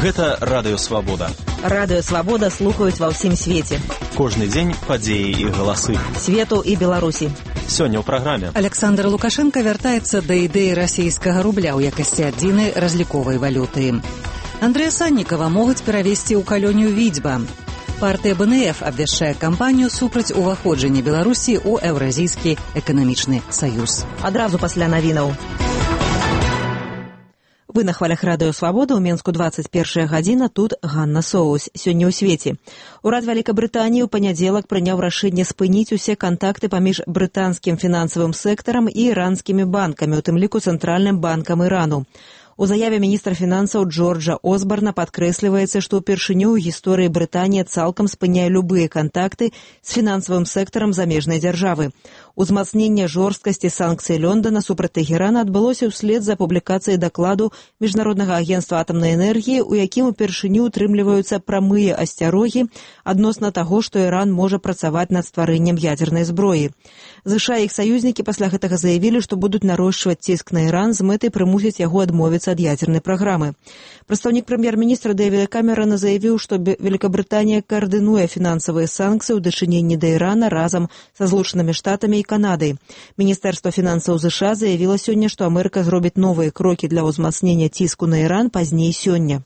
Гэта Радыё Свабода. Радыё Свабода слухаюць ва ўсім свеце. Кожны дзень падзеі і галасы. Свету і Беларусі. Сёння ў праграме. Александр Лукашенко вяртаецца да ідэі расійскага рубля ў якасці адзінай разліковай валюты. Андрэя Саннікава могуць перавесці ў калонію Відзьба. Партыя БНФ абвяшчае кампанію супраць уваходжання Беларусі ў Еўразійскі эканамічны саюз. Адразу пасля навінаў. Вы на хвалях Радыё Свабода, у Менску 21 гадзіна, тут Ганна Соус. Сёння ў свеце. Урад Вялікабрытаніі ў панядзелак прыняў рашэнне спыніць усе кантакты паміж брытанскім фінансавым сектарам і іранскімі банкамі, у тым ліку Цэнтральным банкам Ірану. У заяве міністра фінансаў Джорджа Осбарна падкрэсліваецца, што ўпершыню ў гісторыі Брытанія цалкам спыняе любыя кантакты з фінансавым сектарам замежнай дзяржавы. Узмацненне жорсткасці санкцый Лондона супраць Тэхерана адбылося ўслед за публікацыяй дакладу Міжнароднага агенцтва атамнай энергіі, у якім упершыню утрымліваюцца прамыя асцярогі адносна таго, што Іран можа працаваць над стварэннем ядзернай зброі. ЗША і іх саюзнікі пасля гэтага заявілі, што будуць нарошчваць ціск на Іран з мэтай прымусіць яго адмовіцца ад ядзернай праграмы. Прадстаўнік прэм'ер-міністра Дэвіда Камерана заявіў, што Великабрытанія каардынуе фінансавыя санкцыі ў дачыненні да Ірана разам са Злучанымі Штатамі і Канадай. Міністэрства фінансаў ЗША заявіла сёння, што Амерыка зробіць новыя крокі для ўзмацнення ціску на Іран пазней сёння.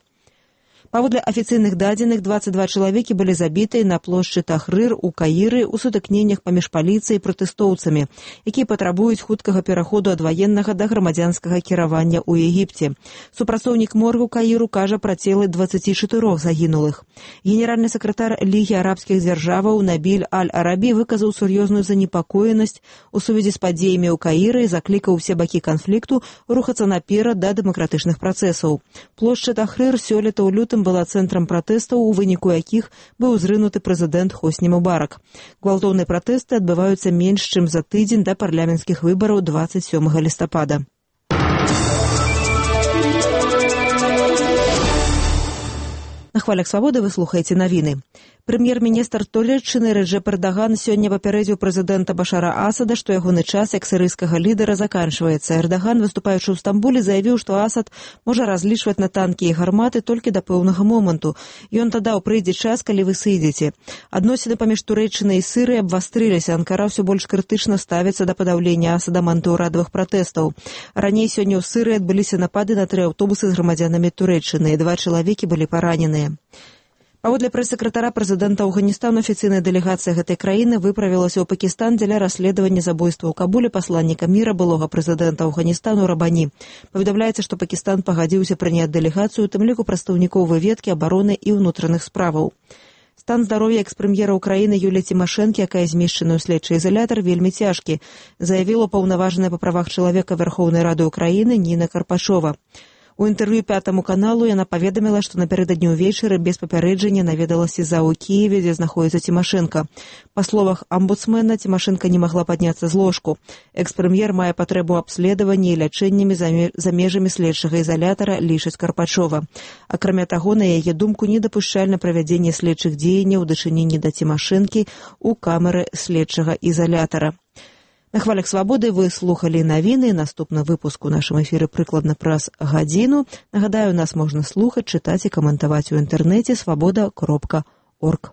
Паводле афіцыйных дадзеных, 22 чалавекі былі забітыя на плошчы Тахрыр у Каіры ў сутыкненнях паміж паліцыяй і пратэстоўцамі, якія патрабуюць хуткага пераходу ад ваеннага да грамадзянскага кіравання ў Егіпце. Супрацоўнік моргу Каіру кажа пра целы 24 загінулых. Генеральны сакратар Лігі арабскіх дзяржаваў Набіль Аль-Арабі выказаў сур'ёзную занепакоенасць у сувязі з падзеямі ў Каіры і заклікаў усе бакі канфлікту рухацца наперад да дэмакратычных працэсаў. Плошча Тахрыр сёлета ў лютым была цэнтрам пратэстаў, у выніку якіх быў зрынуты прэзідэнт Хосні Мубарак. Гвалтоўныя пратэсты адбываюцца менш чым за тыдзень да парламенцкіх выбараў 27 лістапада. На хвалях Свабоды вы слухаеце навіны. Прэм'ер-міністр Туреччыны Реджеп Эрдаган сёння папярэдзіў прэзідэнта Башара Асада, што ягоны час як сірыйскага лідара заканчваецца. Эрдаган, выступаючы ў Стамбуле, заявіў, што Асад можа разлічваць на танкі і гарматы толькі да пэўнага моманту. Ён дадаў, прыйдзе час, калі вы сыдзеце. Адносіны паміж Турэччынай і Сірыяй абвастрыліся. Анкара ўсё больш крытычна ставіцца да падаўлення Асадам антыўрадавых пратэстаў. Раней сёння ў Сірыі адбыліся напады на 3 аўтобусы з грамадзянамі Турэччыны, і 2 чалавекі былі параненыя. Паводле прэс-сакратара прэзідэнта Афганістана, афіцыйная дэлегацыя гэтай краіны выправілася ў Пакістан дзеля расследавання забойства ў Кабуле пасланніка міра былога прэзідэнта Афганістану Рабані. Паведамляецца, што Пакістан пагадзіўся прыняць дэлегацыю, у тым ліку прадстаўнікоў выведкі, абароны і ўнутраных справаў. Стан здароўя экс-прэм'ера ўкраіны Юліі Цімашэнкі, якая змешчана ў следчы ізалятар, вельмі цяжкі, заявіла паўнаважная па правах чалавека Верхоўнай Рады ўкраіны Ніна Карпашова. У інтэрв'ю 5 каналу яна паведаміла, што напярэдадні ўвечары без папярэджання наведалася за ў Кіеве, дзе знаходзіцца Цімашэнка. Па словах амбудсмена, Цімашэнка не магла падняцца з ложку. Экс-прэм'ер мае патрэбу абследавання і лячэннямі за межамі следчага ізалятара, лічыць Карпачова. Акрамя таго, на яе думку, недапушчальна правядзенне следчых дзеянняў у дачыненні да Цімашэнкі ў камеры следчага ізалятара. На хвалях Свабоды вы слухалі навіны. Наступны выпуск у нашым эфіры прыкладна праз гадзіну. Нагадаю, нас можна слухаць, чытаць і каментаваць у інтэрнэце свабода.орг.